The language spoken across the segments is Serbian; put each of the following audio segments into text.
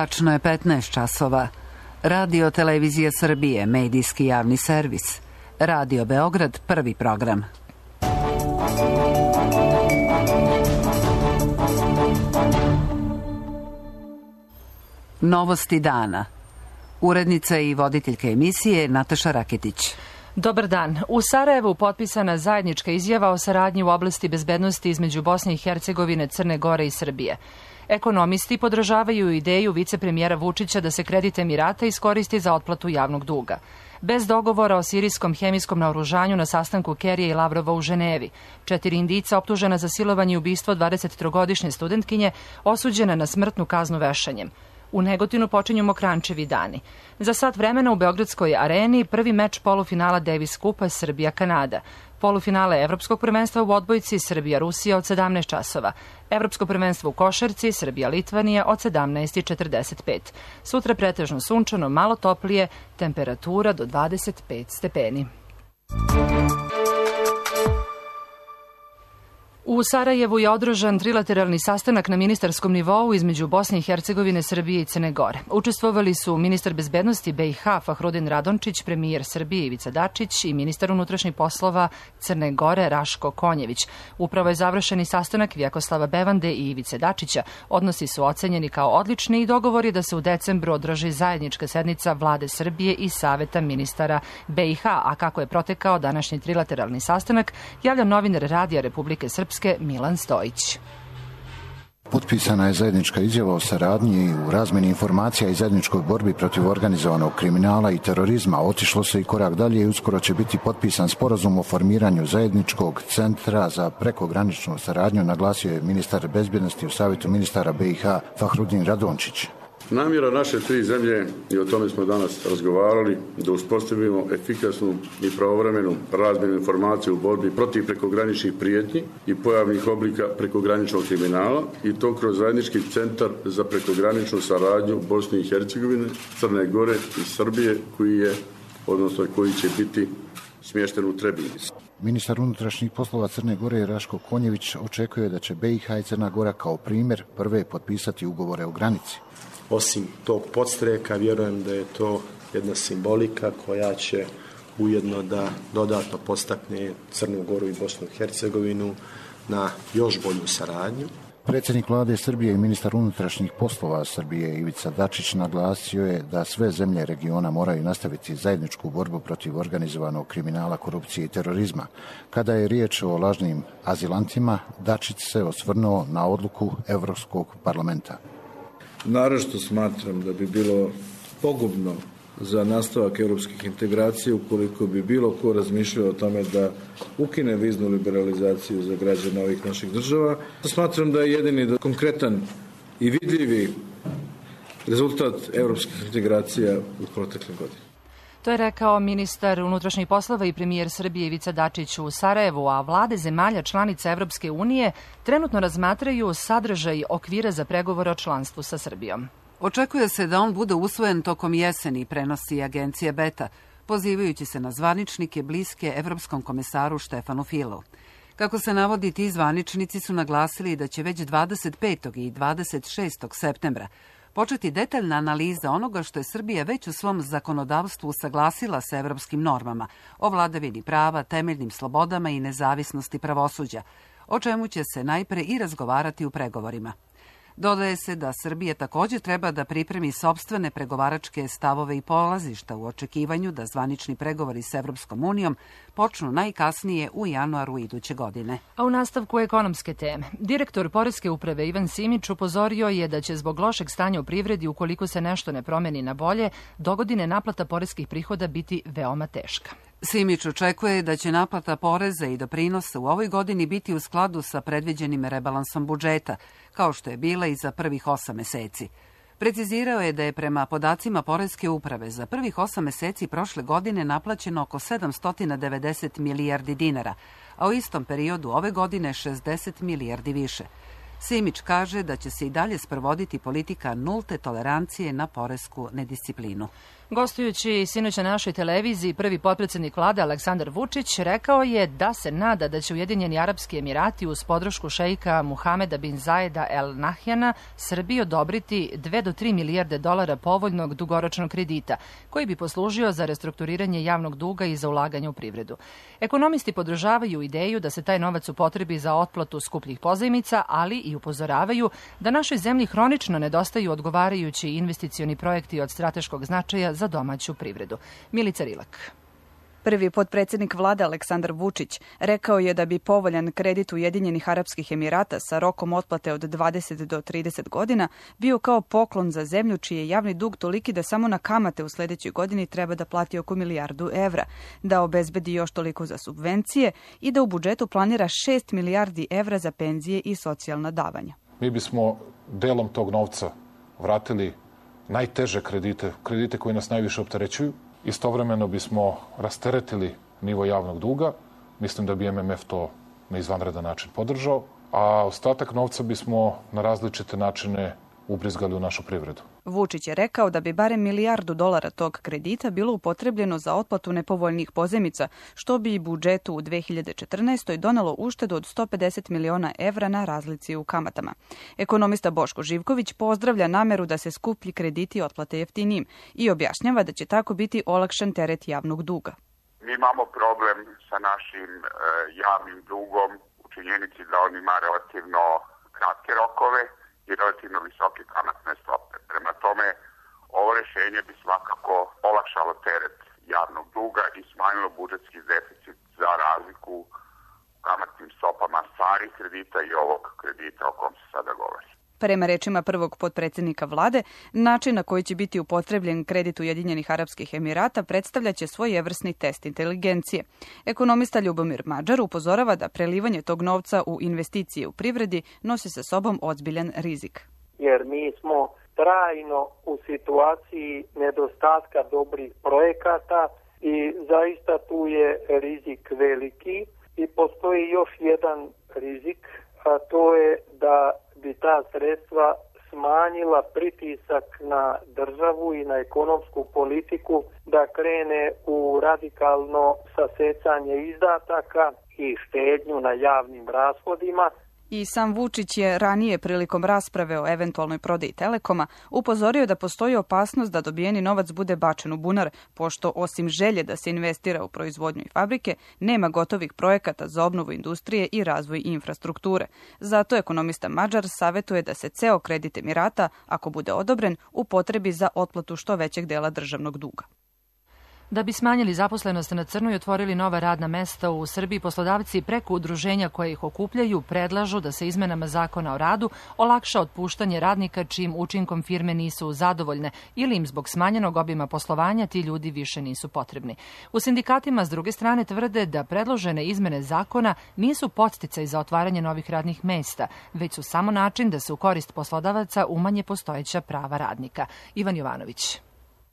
Tačno je 15 časova. Radio Televizija Srbije, medijski javni servis. Radio Beograd, prvi program. Novosti dana. Urednica i voditeljka emisije Nataša Raketić. Dobar dan. U Sarajevu potpisana zajednička izjava o saradnji u oblasti bezbednosti između Bosne i Hercegovine, Crne Gore i Srbije. Ekonomisti podržavaju ideju vicepremijera Vučića da se kredit Emirata iskoristi za otplatu javnog duga. Bez dogovora o sirijskom hemijskom naoružanju na sastanku Kerija i Lavrova u Ženevi. 4 Indijca optužena za silovanje i ubistvo 23-godišnje studentkinje osuđena na smrtnu kaznu vešanjem. U Negotinu počinju Mokrančevi dani. Za sat vremena u Beogradskoj areni prvi meč polufinala Davis Kupa Srbija-Kanada. Polufinale Evropskog prvenstva u odbojci Srbija-Rusija od 17 časova. Evropsko prvenstvo u košarci Srbija-Litvanija od 17:45. Sutra pretežno sunčano, malo toplije, temperatura do 25 stepeni. U Sarajevu je održan trilateralni sastanak na ministarskom nivou između Bosne i Hercegovine, Srbije i Crne Gore. Učestvovali su ministar bezbednosti BiH Fahrudin Radončić, premijer Srbije Ivica Dačić i ministar unutrašnjih poslova Crne Gore Raško Konjević. Upravo je završeni sastanak Vjekoslava Bevande i Ivice Dačića. Odnosi su ocenjeni kao odlični i dogovor je da se u decembru održi zajednička sednica Vlade Srbije i Saveta ministara BiH, a kako je protekao današnji trilateralni sastanak, javlja novinar Radija Republike Srpske Milan Stojić. Potpisana je zajednička izjava o saradnji u razmeni informacija i zajedničkoj borbi protiv organizovanog kriminala i terorizma. Otišlo se i korak dalje i uskoro će biti potpisan sporazum o formiranju zajedničkog centra za prekograničnu saradnju, naglasio je ministar bezbjednosti u Savjetu ministara BiH Fahrudin Radončić. Namjera naše tri zemlje, i o tome smo danas razgovarali, da uspostavimo efikasnu i pravovremenu razmjenu informacija u borbi protiv prekograničnih prijetnji i pojavnih oblika prekograničnog kriminala, i to kroz zajednički centar za prekograničnu saradnju Bosne i Hercegovine, Crne Gore i Srbije, koji će biti smješten u Trebinju. Ministar unutrašnjih poslova Crne Gore Raško Konjević očekuje da će BiH i Crna Gora kao primjer prve potpisati ugovore o granici. Osim tog podstreka, vjerujem da je to jedna simbolika koja će ujedno da dodatno podstakne Crnu Goru i Bosnu i Hercegovinu na još bolju saradnju. Predsjednik vlade Srbije i ministar unutrašnjih poslova Srbije Ivica Dačić naglasio je da sve zemlje regiona moraju nastaviti zajedničku borbu protiv organizovanog kriminala, korupcije i terorizma. Kada je riječ o lažnim azilantima, Dačić se osvrnuo na odluku Evropskog parlamenta. Naročito smatram da bi bilo pogubno za nastavak europskih integracija ukoliko bi bilo ko razmišljao o tome da ukine viznu liberalizaciju za građane ovih naših država. Smatram da je jedini konkretan i vidljivi rezultat europskih integracija u protekle godine. To je rekao ministar unutrašnjih poslova i premijer Srbije Ivica Dačić u Sarajevu, a vlade zemalja članica Evropske unije trenutno razmatraju sadržaj okvira za pregovore o članstvu sa Srbijom. Očekuje se da on bude usvojen tokom jeseni, prenosi agencija Beta, pozivajući se na zvaničnike bliske evropskom komesaru Štefanu Filu. Kako se navodi, ti zvaničnici su naglasili da će već 25. i 26. septembra početi detaljna analiza onoga što je Srbija već u svom zakonodavstvu usaglasila sa evropskim normama o vladavini prava, temeljnim slobodama i nezavisnosti pravosuđa, o čemu će se najpre i razgovarati u pregovorima. Dodaje se da Srbija također treba da pripremi sopstvene pregovaračke stavove i polazišta u očekivanju da zvanični pregovori s Evropskom unijom počnu najkasnije u januaru iduće godine. A u nastavku ekonomske teme. Direktor Poreske uprave Ivan Simić upozorio je da će zbog lošeg stanja u privredi, ukoliko se nešto ne promeni na bolje, dogodine naplata poreskih prihoda biti veoma teška. Simić očekuje da će naplata poreza i doprinosa u ovoj godini biti u skladu sa predviđenim rebalansom budžeta, kao što je bila i za prvih 8 meseci. Precizirao je da je prema podacima Poreske uprave za prvih 8 meseci prošle godine naplaćeno oko 790 milijardi dinara, a u istom periodu ove godine 60 milijardi više. Simić kaže da će se i dalje sprovoditi politika nulte tolerancije na poresku nedisciplinu. Gostujući sinoć na našoj televiziji, prvi potpredsjednik vlade Aleksandar Vučić rekao je da se nada da će Ujedinjeni Arapski Emirati uz podršku šeika Muhameda bin Zajeda El Nahyana Srbiji odobriti 2 do 3 milijarde dolara povoljnog dugoročnog kredita, koji bi poslužio za restrukturiranje javnog duga i za ulaganje u privredu. Ekonomisti podržavaju ideju da se taj novac upotrebi za otplatu skupljih pozajmica, ali i upozoravaju da našoj zemlji hronično nedostaju odgovarajući investicioni projekti od strateškog značaja za domaću privredu. Milica Rilak. Prvi potpredsjednik vlade Aleksandar Vučić rekao je da bi povoljan kredit Ujedinjenih Arapskih Emirata sa rokom otplate od 20 do 30 godina bio kao poklon za zemlju čiji je javni dug toliki da samo na kamate u sljedećoj godini treba da plati oko milijardu evra, da obezbedi još toliko za subvencije i da u budžetu planira 6 milijardi evra za penzije i socijalna davanja. Mi bismo delom tog novca vratili najteže kredite koji nas najviše opterećuju. Istovremeno bismo rasteretili nivo javnog duga. Mislim da bi MMF to na izvanredan način podržao, a ostatak novca bismo na različite načine ubrizgali u našu privredu. Vučić je rekao da bi barem milijardu dolara tog kredita bilo upotrebljeno za otplatu nepovoljnih pozajmica, što bi i budžetu u 2014. donelo uštedu od 150 miliona evra na razlici u kamatama. Ekonomista Boško Živković pozdravlja nameru da se skuplji krediti otplate jeftinijim i objašnjava da će tako biti olakšan teret javnog duga. Mi imamo problem sa našim javnim dugom u činjenici da on ima relativno kratke rokove i relativno visoke kamatne stope. Prema tome, ovo rješenje bi svakako olakšalo teret javnog duga i smanjilo budžetski deficit za razliku u kamatnim stopama starih kredita i ovog kredita o kom se sada govori. Prema rečima prvog potpredsjednika vlade, način na koji će biti upotrebljen kredit Ujedinjenih Arapskih Emirata predstavljaće svojevrsni test inteligencije. Ekonomista Ljubomir Mađar upozorava da prelivanje tog novca u investicije u privredi nosi sa sobom ozbiljan rizik. Jer mi smo trajno u situaciji nedostatka dobrih projekata i zaista tu je rizik veliki i postoji još jedan rizik, a to je da bi ta sredstva smanjila pritisak na državu i na ekonomsku politiku da krene u radikalno sasecanje izdataka i štednju na javnim rashodima. I sam Vučić je ranije prilikom rasprave o eventualnoj prodaji Telekoma upozorio da postoji opasnost da dobijeni novac bude bačen u bunar, pošto osim želje da se investira u proizvodnju i fabrike, nema gotovih projekata za obnovu industrije i razvoj infrastrukture. Zato ekonomista Mađar savjetuje da se ceo kredit Emirata, ako bude odobren, upotrebi za otplatu što većeg dela državnog duga. Da bi smanjili zaposlenost na crno i otvorili nova radna mesta u Srbiji, poslodavci preko udruženja koje ih okupljaju predlažu da se izmenama Zakona o radu olakša otpuštanje radnika čijim učinkom firme nisu zadovoljne ili im zbog smanjenog obima poslovanja ti ljudi više nisu potrebni. U sindikatima s druge strane tvrde da predložene izmene zakona nisu podsticaj za otvaranje novih radnih mesta, već su samo način da se u korist poslodavaca umanje postojeća prava radnika. Ivan Jovanović.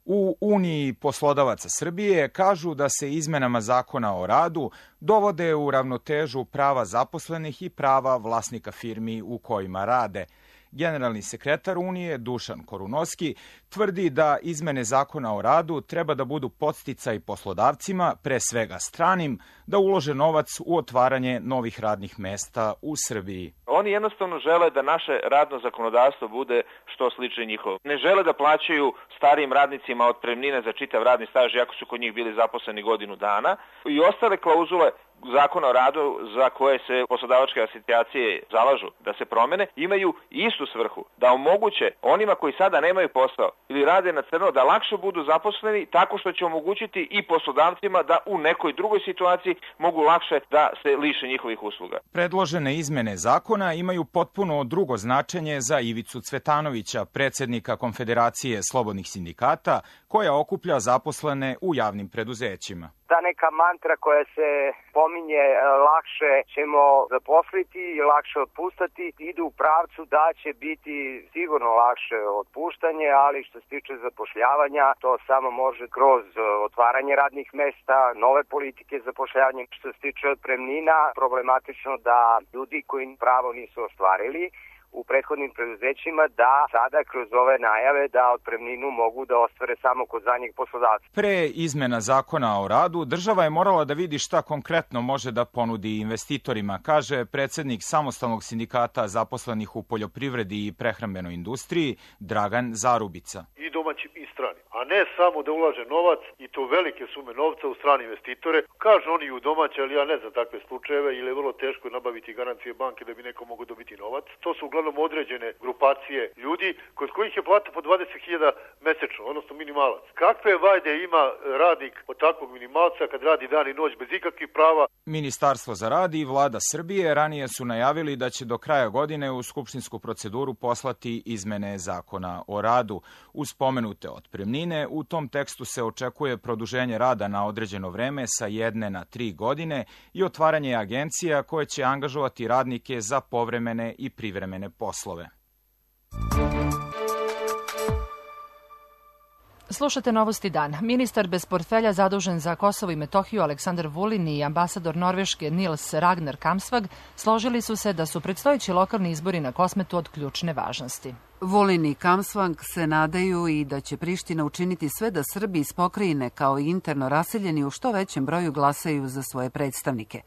U Uniji poslodavaca Srbije kažu da se izmenama Zakona o radu dovode u ravnotežu prava zaposlenih i prava vlasnika firmi u kojima rade. Generalni sekretar Unije Dušan Korunovski tvrdi da izmene Zakona o radu treba da budu podsticaj poslodavcima, pre svega stranim, da ulože novac u otvaranje novih radnih mesta u Srbiji. Oni jednostavno žele da naše radno zakonodavstvo bude što slično njihovo. Ne žele da plaćaju starijim radnicima otpremnine za čitav radni staž, iako su kod njih bili zaposleni godinu dana, i ostale klauzule Zakona o radu za koje se poslodavačke asocijacije zalažu da se promene, imaju istu svrhu, da omoguće onima koji sada nemaju posao ili rade na crno da lakše budu zaposleni tako što će omogućiti i poslodavcima da u nekoj drugoj situaciji mogu lakše da se liše njihovih usluga. Predložene izmene zakona imaju potpuno drugo značenje za Ivicu Cvetanovića, predsjednika Konfederacije slobodnih sindikata, koja okuplja zaposlene u javnim preduzećima. Ta neka mantra koja se pominje lakše ćemo zaposliti i lakše otpuštati idu u pravcu da će biti sigurno lakše otpuštanje, ali što se tiče zapošljavanja to samo može kroz otvaranje radnih mesta, nove politike zapošljavanja. Što se tiče otpremnina, problematično da ljudi koji pravo nisu ostvarili u prethodnim preduzećima da sada kroz ove najave da otpremninu mogu da ostvare samo kod zadnjeg poslodavca. Pre izmena zakona o radu, država je morala da vidi šta konkretno može da ponudi investitorima, kaže predsednik Samostalnog sindikata zaposlenih u poljoprivredi i prehrambenoj industriji Dragan Zarubica. I domaći i strani, a ne samo da ulaže novac i to velike sume novca u strane investitore. Kažu oni u domaće, ali ja ne znam takve slučajeve, ili je vrlo teško nabaviti garancije banke da bi neko mogao dobiti novac. To su uglavnom određene grupacije ljudi kod kojih je plata po 20.000 mesečno, odnosno minimalac. Kakve vajde ima radnik od takvog minimalca kad radi dan i noć bez ikakvih prava? Ministarstvo za rad i vlada Srbije ranije su najavili da će do kraja godine u skupštinsku proceduru poslati izmene zakona o radu. Uz pomenute otpremnine, u tom tekstu se očekuje produženje rada na određeno vreme sa 1 na 3 godine i otvaranje agencija koje će angažovati radnike za povremene i privremene poslove. Slušate Novosti dan. Ministar bez portfelja zadužen za Kosovo i Metohiju Aleksandar Vulin i ambasador Norveške Nils Ragnar Kamsvag složili su se da su predstojeći lokalni izbori na Kosmetu od ključne važnosti. Vulin i Kamsvang se nadaju i da će Priština učiniti sve da Srbi iz pokrajine kao i interno raseljeni u što većem broju glasaju za svoje predstavnike.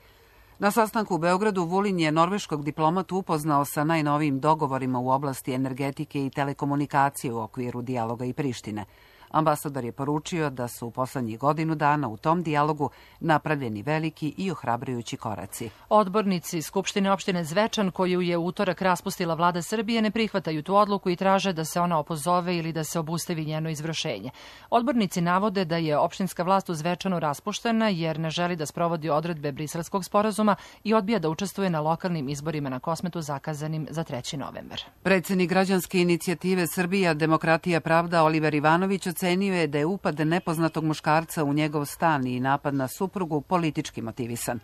Na sastanku u Beogradu Vulin je norveškog diplomatu upoznao sa najnovijim dogovorima u oblasti energetike i telekomunikacije u okviru dijaloga i Prištine. Ambasador je poručio da su u poslednjih godinu dana u tom dijalogu napravljeni veliki i ohrabrujući koraci. Odbornici Skupštine opštine Zvečan, koju je u utorak raspustila vlada Srbije, ne prihvataju tu odluku i traže da se ona opozove ili da se obustavi njeno izvršenje. Odbornici navode da je opštinska vlast u Zvečanu raspuštena jer ne želi da sprovodi odredbe Briselskog sporazuma i odbija da učestvuje na lokalnim izborima na Kosmetu zakazanim za 3. novembar. Predsednik građanske inicijative Srbija, Demokratija, Pravda Oliver Ivanović ocenio je da je upad nepoznatog muškarca u njegov stan i napad na suprugu politički motivisan.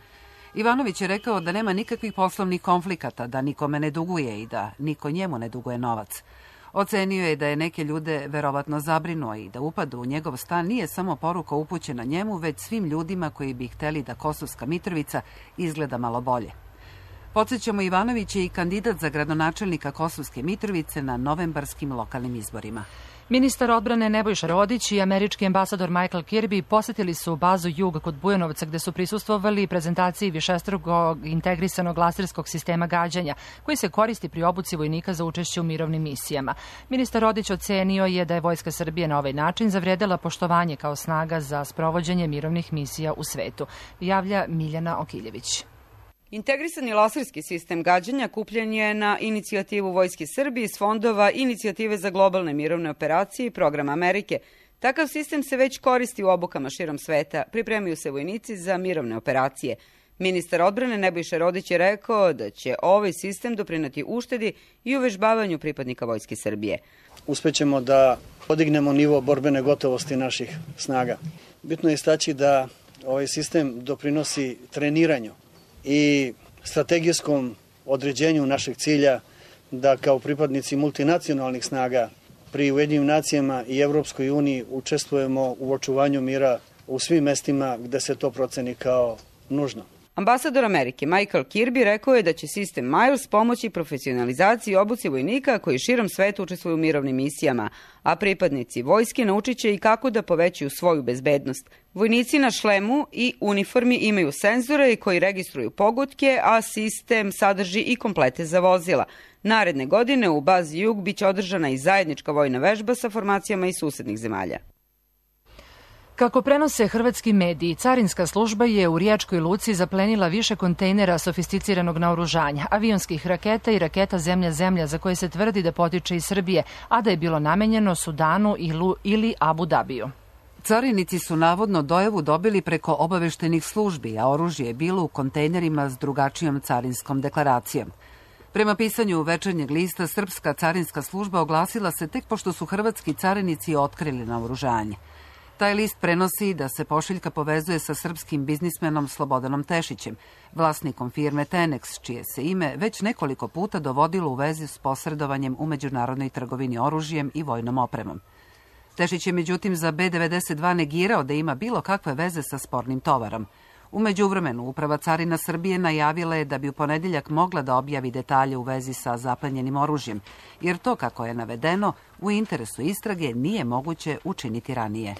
Ivanović je rekao da nema nikakvih poslovnih konflikata, da nikome ne duguje i da niko njemu ne duguje novac. Ocenio je da je neke ljude verovatno zabrinuo i da upad u njegov stan nije samo poruka upućena njemu, već svim ljudima koji bi hteli da Kosovska Mitrovica izgleda malo bolje. Podsjećamo, Ivanović je i kandidat za gradonačelnika Kosovske Mitrovice na novembarskim lokalnim izborima. Ministar odbrane Nebojša Rodić i američki ambasador Michael Kirby posetili su bazu Jug kod Bujanovca gde su prisustvovali prezentaciji višestrukog integrisanog laserskog sistema gađanja koji se koristi pri obuci vojnika za učešće u mirovnim misijama. Ministar Rodić ocenio je da je Vojska Srbije na ovaj način zavredela poštovanje kao snaga za sprovođenje mirovnih misija u svetu. Javlja Miljana Okiljević. Integrisani laserski sistem gađanja kupljen je na inicijativu Vojske Srbije iz fondova Inicijative za globalne mirovne operacije i Programa Amerike. Takav sistem se već koristi u obukama širom sveta, pripremaju se vojnici za mirovne operacije. Ministar odbrane Nebojša Rodić je rekao da će ovaj sistem doprineti uštedi i uvežbavanju pripadnika Vojske Srbije. Uspećemo da podignemo nivo borbene gotovosti naših snaga. Bitno je istaći da ovaj sistem doprinosi treniranju i strategijskom određenju našeg cilja da kao pripadnici multinacionalnih snaga pri Ujedinjenim nacijama i Evropskoj uniji učestvujemo u očuvanju mira u svim mestima gde se to proceni kao nužno. Ambasador Amerike Michael Kirby rekao je da će sistem Miles pomoći profesionalizaciji i obuci vojnika koji širom sveta učestvuju u mirovnim misijama, a pripadnici vojske naučit će i kako da povećaju svoju bezbednost. Vojnici na šlemu i uniformi imaju senzore koji registruju pogotke, a sistem sadrži i komplete za vozila. Naredne godine u bazi Jug biće održana i zajednička vojna vežba sa formacijama iz susednih zemalja. Kako prenose hrvatski mediji, carinska služba je u Riječkoj luci zaplenila više kontejnera sofisticiranog naoružanja, avionskih raketa i raketa zemlja-zemlja za koje se tvrdi da potiče iz Srbije, a da je bilo namenjeno Sudanu ili Abu Dabiju. Carinici su navodno dojavu dobili preko obaveštenih službi, a oružje je bilo u kontejnerima s drugačijom carinskom deklaracijom. Prema pisanju Večernjeg lista, srpska carinska služba oglasila se tek pošto su hrvatski carinici otkrili naoružanje. Taj list prenosi da se pošiljka povezuje sa srpskim biznismenom Slobodanom Tešićem, vlasnikom firme Tenex, čije se ime već nekoliko puta dovodilo u vezi s posredovanjem u međunarodnoj trgovini oružjem i vojnom opremom. Tešić je međutim za B92 negirao da ima bilo kakve veze sa spornim tovarom. U međuvremenu, Uprava carina Srbije najavila je da bi u ponedeljak mogla da objavi detalje u vezi sa zaplenjenim oružjem, jer to, kako je navedeno, u interesu istrage nije moguće učiniti ranije.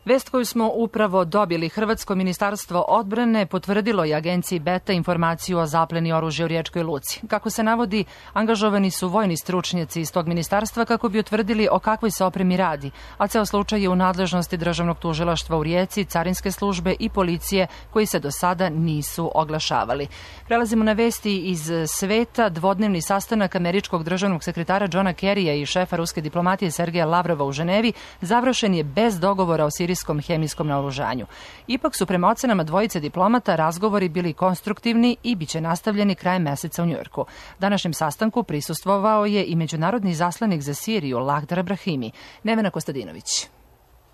Vest koju smo upravo dobili, Hrvatsko ministarstvo odbrane potvrdilo je agenciji Beta informaciju o zapleni oružja u Riječkoj luci. Kako se navodi, angažovani su vojni stručnjaci iz tog ministarstva kako bi utvrdili o kakvoj se opremi radi, a ceo slučaj je u nadležnosti Državnog tužilaštva u Rijeci, carinske službe i policije koji se do sada nisu oglašavali. Prelazimo na vesti iz sveta. Dvodnevni sastanak američkog državnog sekretara Johna Kerrya i šefa ruske diplomatije Sergeja Lavrova u Ženevi završen je bez dogovora o sirijskom hemijskom naoružanju. Ipak su prema ocenama dvojice diplomata razgovori bili konstruktivni i biće nastavljeni krajem meseca u Njujorku. Današnjem sastanku prisustvovao je i međunarodni izaslanik za Siriju Lagdar Brahimi. Nevena Kostadinović.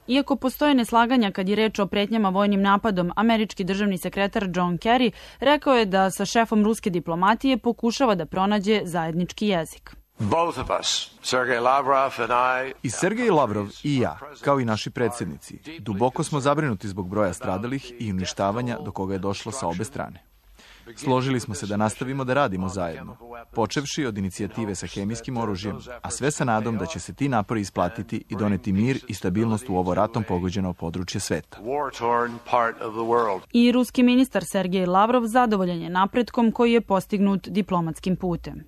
Iako postoje neslaganja kad je reč o pretnjama vojnim napadom, američki državni sekretar John Kerry rekao je da sa šefom ruske diplomatije pokušava da pronađe zajednički jezik. I Sergej Lavrov i ja, kao i naši predsjednici, duboko smo zabrinuti zbog broja stradalih i uništavanja do koga je došlo sa obe strane. Složili smo se da nastavimo da radimo zajedno, počevši od inicijative sa hemijskim oružjem, a sve sa nadom da će se ti napori isplatiti i doneti mir i stabilnost u ovo ratom pogođeno područje sveta. I ruski ministar Sergej Lavrov zadovoljan je napretkom koji je postignut diplomatskim putem.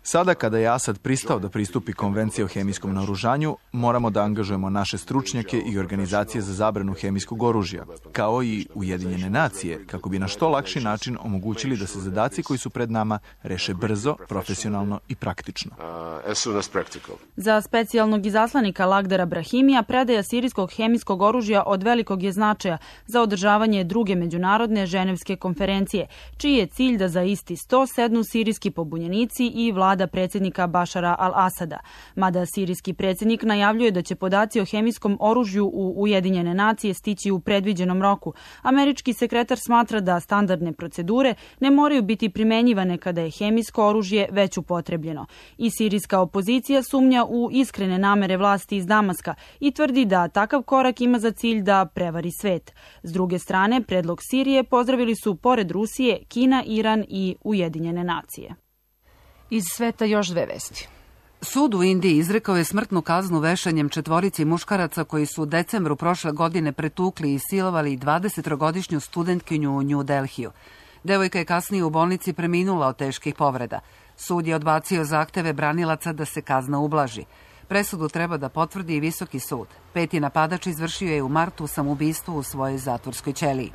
Sada kada je Asad pristao da pristupi konvenciji o hemijskom naoružanju, moramo da angažujemo naše stručnjake i organizacije za zabranu hemijskog oružja, kao i Ujedinjene nacije, kako bi na što lakši način omogućili da se zadaci koji su pred nama reše brzo, profesionalno i praktično. Za specijalnog izaslanika Lagdara Brahimija predaja sirijskog hemijskog oružja od velikog je značaja za održavanje druge međunarodne ženevske konferencije, čiji je cilj da za isti sto sednu sirijski pobunjenici i vlada predsjednika Bašara al-Asada. Mada sirijski predsjednik najavljuje da će podaci o hemijskom oružju u Ujedinjene nacije stići u predviđenom roku, američki sekretar smatra da standardne procedure ne moraju biti primenjivane kada je hemijsko oružje već upotrebljeno. I sirijska opozicija sumnja u iskrene namere vlasti iz Damaska i tvrdi da takav korak ima za cilj da prevari svet. S druge strane, predlog Sirije pozdravili su pored Rusije, Kina, Iran i Ujedinjene nacije. Iz sveta još dve vesti. Sud u Indiji izrekao je smrtnu kaznu vešanjem 4 muškaraca koji su u decembru prošle godine pretukli i silovali 20-godišnju studentkinju u New Delhiju. Devojka je kasnije u bolnici preminula od teških povreda. Sud je odbacio zahteve branilaca da se kazna ublaži. Presudu treba da potvrdi i Visoki sud. 5. napadač izvršio je u martu samoubistvo u svojoj zatvorskoj ćeliji.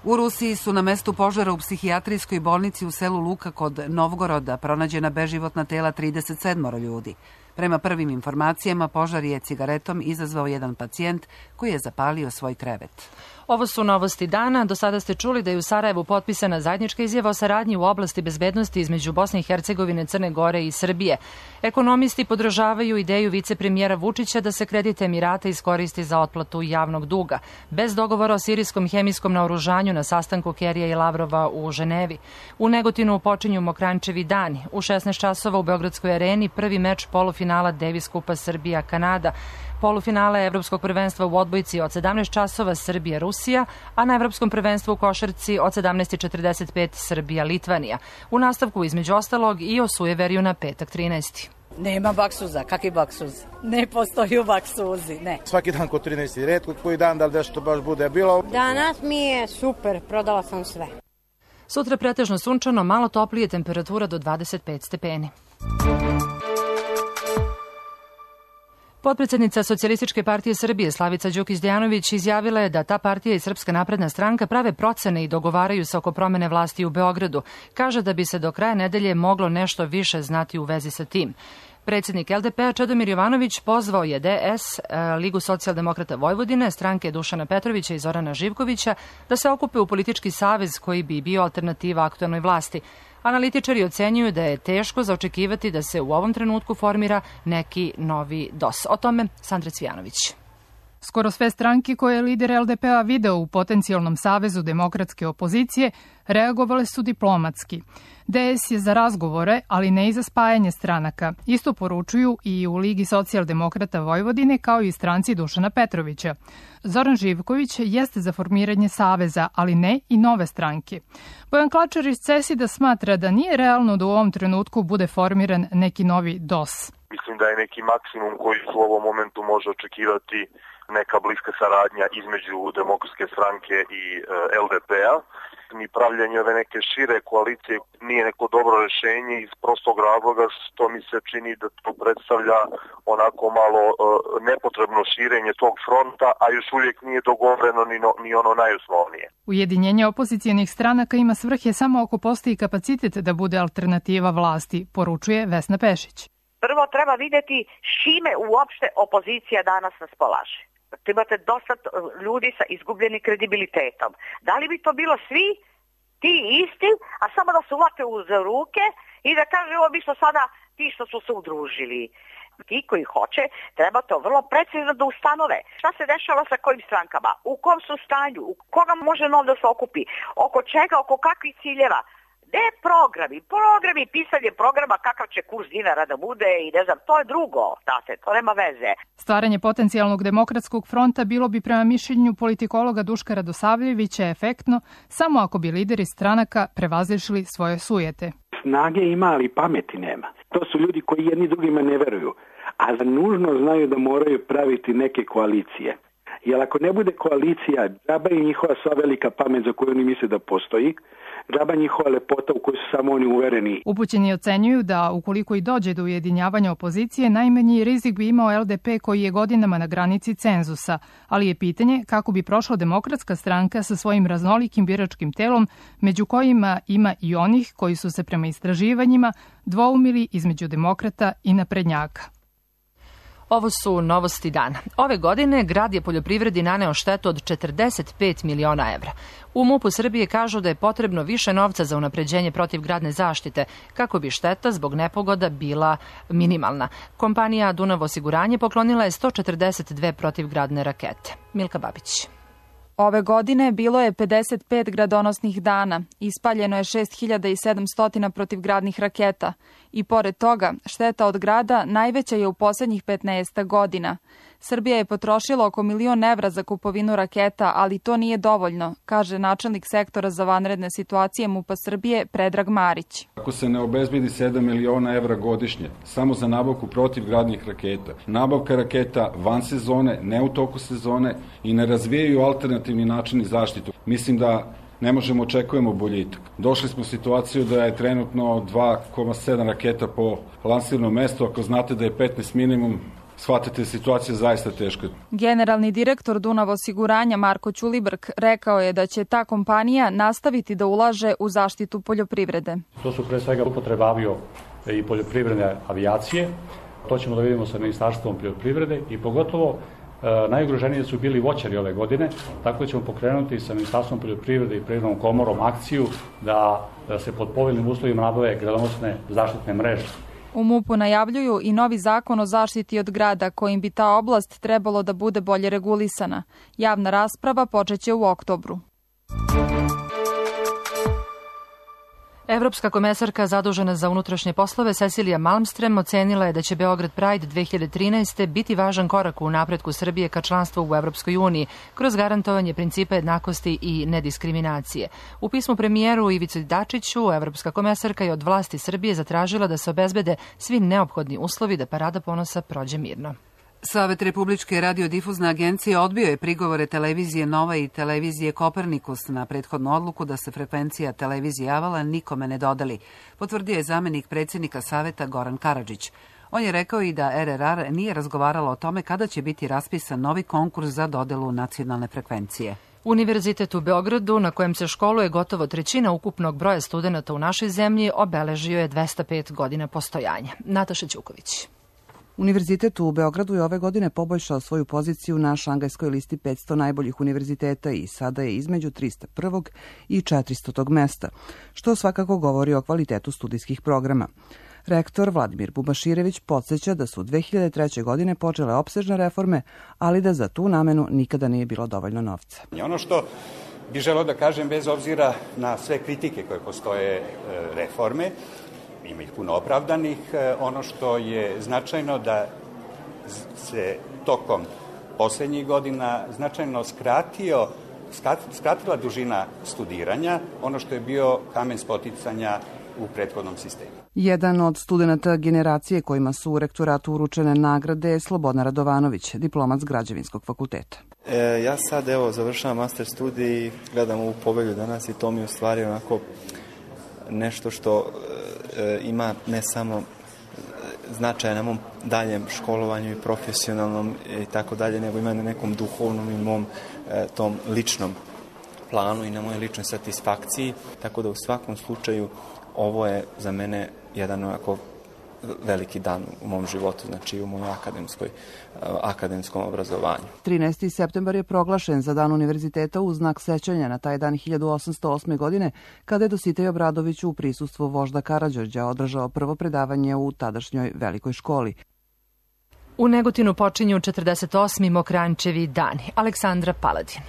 U Rusiji su na mestu požara u psihijatrijskoj bolnici u selu Luka kod Novgoroda pronađena beživotna tela 37 ljudi. Prema prvim informacijama, požar je cigaretom izazvao jedan pacijent koji je zapalio svoj krevet. Ovo su novosti dana. Do sada ste čuli da je u Sarajevu potpisana zajednička izjava o saradnji u oblasti bezbednosti između Bosne i Hercegovine, Crne Gore i Srbije. Ekonomisti podržavaju ideju vicepremijera Vučića da se kredit Emirata iskoristi za otplatu javnog duga. Bez dogovora o sirijskom hemijskom naoružanju na sastanku Kerrya i Lavrova u Ženevi. U Negotinu počinju Mokrančevi dani. U 16 časova u Beogradskoj areni prvi meč polufinala Davis Kupa Srbija-Kanada. Polufinala Evropskog prvenstva u odbojci od 17 časova Srbija-Rusija, a na Evropskom prvenstvu u košarci od 17:45 Srbija-Litvanija. U nastavku između ostalog i o sujeveriju na petak 13. Nema baksuza, kakvi baksuz? Ne postoji u baksuzi, ne. Svaki dan kod 13. retko koji dan da li nešto baš bude bilo. Danas mi je super, prodala sam sve. Sutra pretežno sunčano, malo toplije, temperatura do 25 stepeni. Potpredsjednica Socijalističke partije Srbije Slavica Đukić-Dejanović izjavila je da ta partija i Srpska napredna stranka prave procene i dogovaraju se oko promene vlasti u Beogradu. Kaže da bi se do kraja nedelje moglo nešto više znati u vezi sa tim. Predsjednik LDP-a Čedomir Jovanović pozvao je DS, Ligu socijaldemokrata Vojvodine, stranke Dušana Petrovića i Zorana Živkovića da se okupe u politički savez koji bi bio alternativa aktuelnoj vlasti. Analitičari ocenjuju da je teško zaočekivati da se u ovom trenutku formira neki novi DOS. O tome Sandra Cvijanović. Skoro sve stranke koje je lider LDP-a video u potencijalnom savezu demokratske opozicije reagovale su diplomatski. DS je za razgovore, ali ne i za spajanje stranaka. Isto poručuju i u Ligi socijaldemokrata Vojvodine kao i stranci Dušana Petrovića. Zoran Živković jeste za formiranje saveza, ali ne i nove stranke. Bojan Klačar iz CESID-a smatra da nije realno da u ovom trenutku bude formiran neki novi DOS. Mislim da je neki maksimum koji u ovom momentu može očekivati neka bliska saradnja između Demokratske stranke i LDP-a. Ni pravljanje ove neke šire koalicije nije neko dobro rešenje iz prostog razloga što mi se čini da to predstavlja onako malo nepotrebno širenje tog fronta, a još uvijek nije dogovoreno ni ono najosnovnije. Ujedinjenje opozicijenih stranaka ima svrhe samo ako postoji kapacitet da bude alternativa vlasti, poručuje Vesna Pešić. Prvo treba vidjeti s čime uopšte opozicija danas raspolaže. Imate dosta ljudi sa izgubljenim kredibilitetom. Da li bi to bilo svi ti isti, a samo da se uvate uz ruke i da kaže ovo bi što sada ti što su se udružili. Ti koji hoće, treba to vrlo precizno da ustanove. Šta se dešava sa kojim strankama, u kom su stanju, u koga može nov da se okupi, oko čega, oko kakvih ciljeva. Programi, pisanje programa, kakav će kurs dinara da bude i ne znam, to je drugo, znate, to nema veze. Stvaranje potencijalnog demokratskog fronta bilo bi prema mišljenju politikologa Duška Radosavljevića efektno samo ako bi lideri stranaka prevazišli svoje sujete. Snage ima, ali pameti nema. To su ljudi koji jedni drugima ne veruju, a nužno znaju da moraju praviti neke koalicije. Jer ako ne bude koalicija, džaba je njihova sva velika pamet za koju oni misle da postoji, džaba njihova lepota u kojoj su samo oni uvereni. Upućeni ocenjuju da ukoliko i dođe do ujedinjavanja opozicije, najmanji rizik bi imao LDP koji je godinama na granici cenzusa, ali je pitanje kako bi prošla Demokratska stranka sa svojim raznolikim biračkim telom, među kojima ima i onih koji su se prema istraživanjima dvoumili između demokrata i naprednjaka. Ovo su novosti dana. Ove godine grad je poljoprivredi naneo štetu od 45 miliona evra. U MUP-u Srbije kažu da je potrebno više novca za unapređenje protivgradne zaštite, kako bi šteta zbog nepogoda bila minimalna. Kompanija Dunav osiguranje poklonila je 142 protivgradne rakete. Milka Babić. Ove godine bilo je 55 gradonosnih dana, ispaljeno je 6700 protivgradnih raketa i pored toga šteta od grada najveća je u posljednjih 15 godina. Srbija je potrošila oko 1 milion evra za kupovinu raketa, ali to nije dovoljno, kaže načelnik sektora za vanredne situacije MUP-a Srbije Predrag Marić. Ako se ne obezbedi 7 miliona evra godišnje samo za nabavku protivgradnih raketa, nabavka raketa van sezone, ne u toku sezone i ne razvijaju alternativni načini zaštitu, mislim da ne možemo očekujemo boljitak. Došli smo u situaciju da je trenutno 2,7 raketa po lansirnom mestu, ako znate da je 15 minimum, shvatite, situacija zaista teška. Generalni direktor Dunav osiguranja Marko Ćulibrk rekao je da će ta kompanija nastaviti da ulaže u zaštitu poljoprivrede. To su pre svega upotreba avio i poljoprivredne avijacije. To ćemo da vidimo sa Ministarstvom poljoprivrede i pogotovo najugroženiji su bili voćari ove godine, tako da ćemo pokrenuti sa Ministarstvom poljoprivrede i Privrednom komorom akciju da se pod povoljnim uslovima nabave gradonosne zaštitne mreže. U MUP-u najavljuju i novi zakon o zaštiti od grada kojim bi ta oblast trebalo da bude bolje regulisana. Javna rasprava počeće u oktobru. Evropska komesarka zadužena za unutrašnje poslove Cecilija Malmström ocenila je da će Beograd Pride 2013. biti važan korak u napretku Srbije ka članstvu u Evropskoj uniji kroz garantovanje principa jednakosti i nediskriminacije. U pismu premijeru Ivici Dačiću, evropska komesarka je od vlasti Srbije zatražila da se obezbede svi neophodni uslovi da Parada ponosa prođe mirno. Savet Republičke radiodifuzne agencije odbio je prigovore televizije Nova i televizije Kopernikus na prethodnu odluku da se frekvencija televizije Avala nikome ne dodeli, potvrdio je zamenik predsjednika Saveta Goran Karadžić. On je rekao i da RRR nije razgovarala o tome kada će biti raspisan novi konkurs za dodelu nacionalne frekvencije. Univerzitet u Beogradu, na kojem se školuje gotovo trećina ukupnog broja studenata u našoj zemlji, obeležio je 205 godina postojanja. Nataša Ćuković. Univerzitet u Beogradu je ove godine poboljšao svoju poziciju na šangajskoj listi 500 najboljih univerziteta i sada je između 301. i 400. mesta, što svakako govori o kvalitetu studijskih programa. Rektor Vladimir Bubaširević podsjeća da su 2003. godine počele opsežne reforme, ali da za tu namenu nikada nije bilo dovoljno novca. Ono što bih želeo da kažem, bez obzira na sve kritike koje postoje reforme, ima ih puno opravdanih, ono što je značajno da se tokom poslednjih godina značajno skratila dužina studiranja, ono što je bio kamen spoticanja u prethodnom sistemu. Jedan od studenta generacije kojima su u rektoratu uručene nagrade je Slobodan Radovanović, diplomat s Građevinskog fakulteta. Ja sad završavam master studij i gledam ovu povelju danas i to mi je u stvari onako nešto što ima ne samo značaja na mom daljem školovanju i profesionalnom i tako dalje, nego ima na nekom duhovnom i mom tom ličnom planu i na mojoj ličnoj satisfakciji, tako da u svakom slučaju ovo je za mene jedan onako veliki dan u mom životu, znači u mojoj akademskom obrazovanju. 13. septembar je proglašen za Dan univerziteta u znak sećanja na taj dan 1808. godine, kada je Dositej Obradović u prisustvu vožda Karađorđa održao prvo predavanje u tadašnjoj velikoj školi. U Negotinu počinju 48. Mokranjčevi dani. Aleksandra Paladin.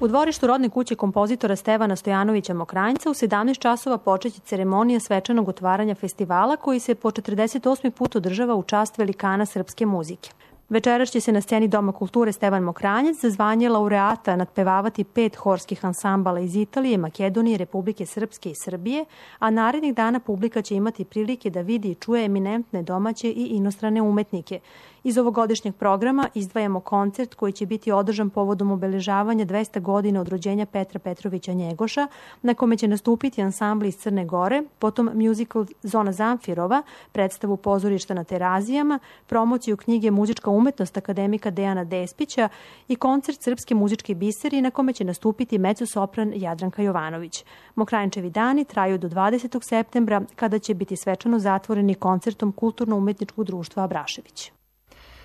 U dvorištu rodne kuće kompozitora Stevana Stojanovića Mokranjca u 17 časova počeće ceremonija svečanog otvaranja festivala koji se po 48. put održava u čast velikana srpske muzike. Večeras će se na sceni Doma kulture Stevan Mokranjac za zvanje laureata nadpevavati 5 horskih ansambala iz Italije, Makedonije, Republike Srpske i Srbije, a narednih dana publika će imati prilike da vidi i čuje eminentne domaće i inostrane umetnike. Iz ovogodišnjeg programa izdvajamo koncert koji će biti održan povodom obeležavanja 200 godina od rođenja Petra Petrovića Njegoša, na kome će nastupiti ansambli iz Crne Gore, potom musical Zona Zamfirova, predstavu pozorišta na Terazijama, promociju knjige Muzička umetnost akademika Dejana Despića i koncert Srpske muzičke biseri na kome će nastupiti mezzo-sopran Jadranka Jovanović. Mokranjčevi dani traju do 20. septembra, kada će biti svečano zatvoreni koncertom Kulturno-umetničkog društva Abrašević.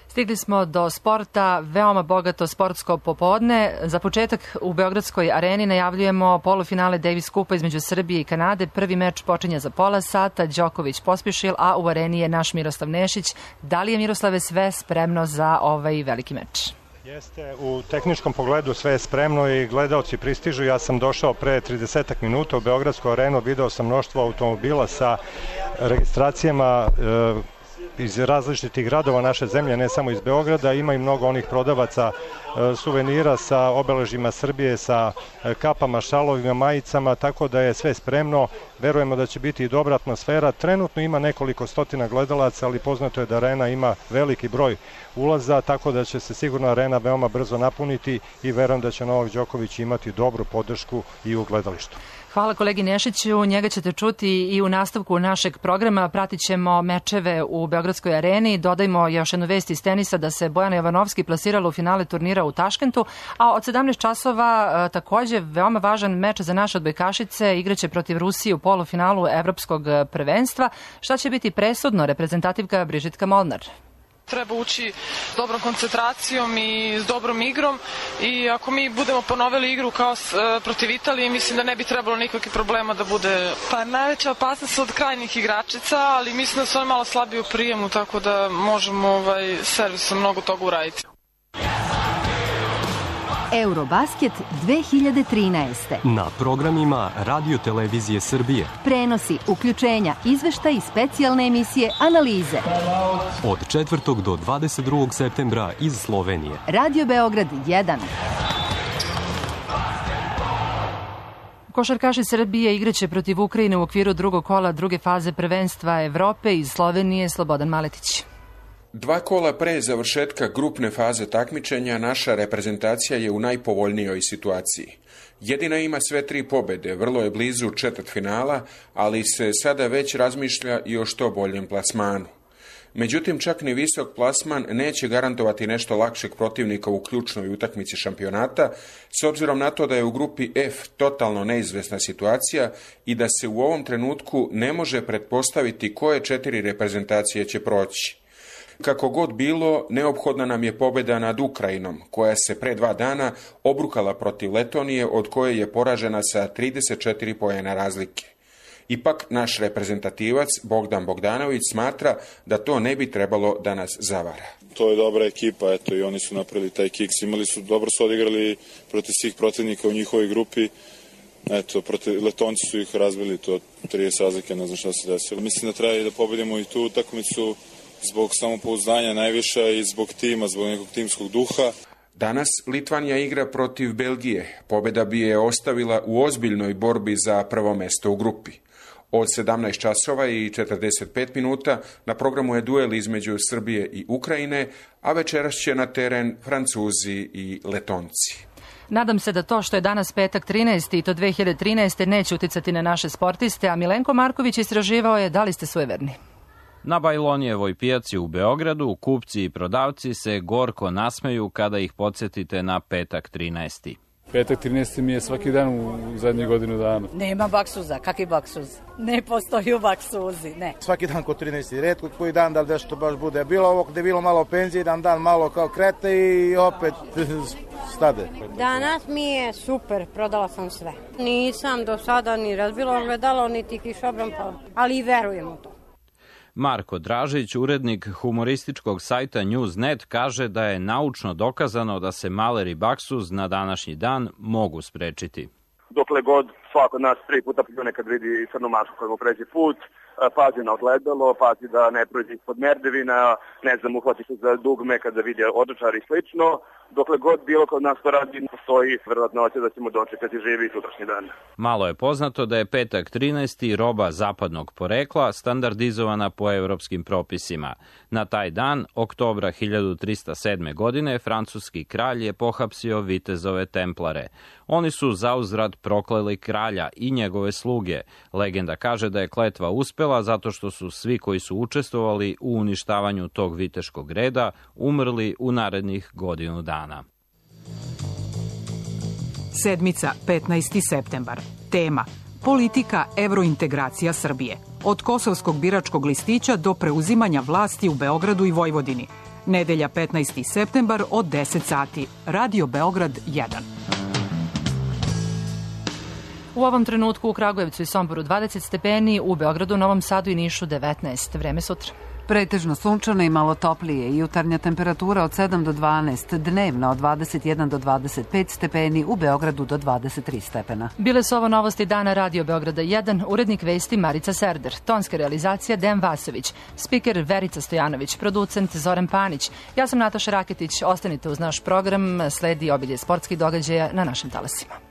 Stigli smo do sporta, veoma bogato sportsko popodne. Za početak u Beogradskoj areni najavljujemo polufinale Davis Kupa između Srbije i Kanade. Prvi meč počinje za pola sata, Đoković pospješil, a u areni je naš Miroslav Nešić. Da li je, Miroslave, sve spremno za ovaj veliki meč? Jeste, u tehničkom pogledu sve je spremno i gledaoci pristižu. Ja sam došao pre 30 minuta u Beogradsku arenu, video sam mnoštvo automobila sa registracijama iz različitih gradova naše zemlje, ne samo iz Beograda. Ima i mnogo onih prodavaca suvenira sa obeležima Srbije, sa kapama, šalovima, majicama, tako da je sve spremno. Verujemo da će biti i dobra atmosfera. Trenutno ima nekoliko stotina gledalaca, ali poznato je da arena ima veliki broj ulaza, tako da će se sigurno arena veoma brzo napuniti i verujem da će Novak Đoković imati dobru podršku i u gledalištu. Hvala kolegi Nešiću, njega ćete čuti i u nastavku našeg programa. Pratit ćemo mečeve u Beogradskoj areni. Dodajmo još jednu vest iz tenisa da se Bojana Jovanovski plasirala u finale turnira u Taškentu, a od 17 časova takođe veoma važan meč za naše odbojkašice. Igraće protiv Rusije u polufinalu Evropskog prvenstva. Šta će biti presudno? Reprezentativka Brižitka Molnar. Treba ući s dobrom koncentracijom i s dobrom igrom i ako mi budemo ponovili igru kao protiv Italije, mislim da ne bi trebalo nikakvih problema da bude. Pa najveća opasnost od krajnjih igračica, ali mislim da su oni malo slabiji u prijemu, tako da možemo servisom mnogo toga uraditi. Eurobasket 2013. Na programima Radio Televizije Srbije. Prenosi, uključenja, izveštaj i specijalne emisije, analize. Od 4. do 22. septembra iz Slovenije. Radio Beograd 1. Košarkaši Srbije igraće protiv Ukrajine u okviru drugog kola druge faze prvenstva Evrope. Iz Slovenije Slobodan Maletić. 2 kola pre završetka grupne faze takmičenja naša reprezentacija je u najpovoljnijoj situaciji. Jedina ima sve 3 pobede, vrlo je blizu četvrtfinala, ali se sada već razmišlja i o što boljem plasmanu. Međutim, čak ni visok plasman neće garantovati nešto lakšeg protivnika u ključnoj utakmici šampionata, s obzirom na to da je u grupi F totalno neizvesna situacija i da se u ovom trenutku ne može pretpostaviti koje 4 reprezentacije će proći. Kako god bilo, neophodna nam je pobjeda nad Ukrajinom, koja se pre 2 dana obrukala protiv Letonije, od koje je poražena sa 34 poena razlike. Ipak, naš reprezentativac Bogdan Bogdanović smatra da to ne bi trebalo da nas zavara. To je dobra ekipa, eto, i oni su napravili taj kiks. Dobro su odigrali protiv svih protivnika u njihovoj grupi. Eto, Letonci su ih razbili, to 30 razlike, ne znam šta se desilo. Mislim da treba i da pobedimo i tu utakmicu zbog samopouzdanja najviša i zbog tima, zbog nekog timskog duha. Danas Litvanija igra protiv Belgije. Pobjeda bi je ostavila u ozbiljnoj borbi za prvo mesto u grupi. Od 17 časova i 45 minuta na programu je duel između Srbije i Ukrajine, a večeras će na teren Francuzi i Letonci. Nadam se da to što je danas petak 13. i to 2013. neće uticati na naše sportiste, a Milenko Marković istraživao je da li ste sujeverni. Na Bajlonijevoj pijaci u Beogradu kupci i prodavci se gorko nasmeju kada ih podsjetite na petak 13. Petak 13. mi je svaki dan u zadnjih godinu dana. Nema baksuza, kakvi baksuz? Ne postoji baksuzi, ne. Svaki dan kod 13. Retko koji dan da li nešto baš bude. Bilo ovo gde je bilo malo penzije, dan malo kao krete i opet stade. Danas mi je super, prodala sam sve. Nisam do sada ni razbila ogledalo, niti kišobran, ali i verujem u to. Marko Dražić, urednik humorističkog sajta Newsnet, kaže da je naučno dokazano da se maler i baksuz na današnji dan mogu sprečiti. Dokle god svako od nas 3 puta pljune kad vidi crnu mačku koja mu pređe put, pazi na ogledalo, pazi da ne prođe ispod merdevina, uhvati se za dugme kada vidi odočar i slično. Dokle god bilo kod nas to radi, postoji verovatnoća da ćemo dočekati živi sutrašnji dan. Malo je poznato da je petak 13. roba zapadnog porekla standardizovana po evropskim propisima. Na taj dan, oktobra 1307. godine, francuski kralj je pohapsio vitezove templare. Oni su zauzvrat prokleli kralja i njegove sluge. Legenda kaže da je kletva uspela zato što su svi koji su učestvovali u uništavanju tog viteškog reda umrli u narednih godinu dana. Sedmica, 15. septembar. Tema: politika evrointegracija Srbije. Od kosovskog biračkog listića do preuzimanja vlasti u Beogradu i Vojvodini. Nedelja, 15. septembar od 10 sati. Radio Beograd 1. U ovom trenutku u Kragujevcu i Somboru 20 stepeni, u Beogradu, Novom Sadu i Nišu 19. Vreme sutra. Pretežno sunčano i malo toplije, jutarnja temperatura od 7 do 12, dnevna od 21 do 25 stepeni, u Beogradu do 23 stepena. Bile su ovo novosti dana Radio Beograda 1, urednik vesti Marica Serder, tonska realizacija Dejan Vasović, spiker Verica Stojanović, producent Zoran Panić. Ja sam Nataša Raketić, ostanite uz naš program, sledi obilje sportskih događaja na našim talasima.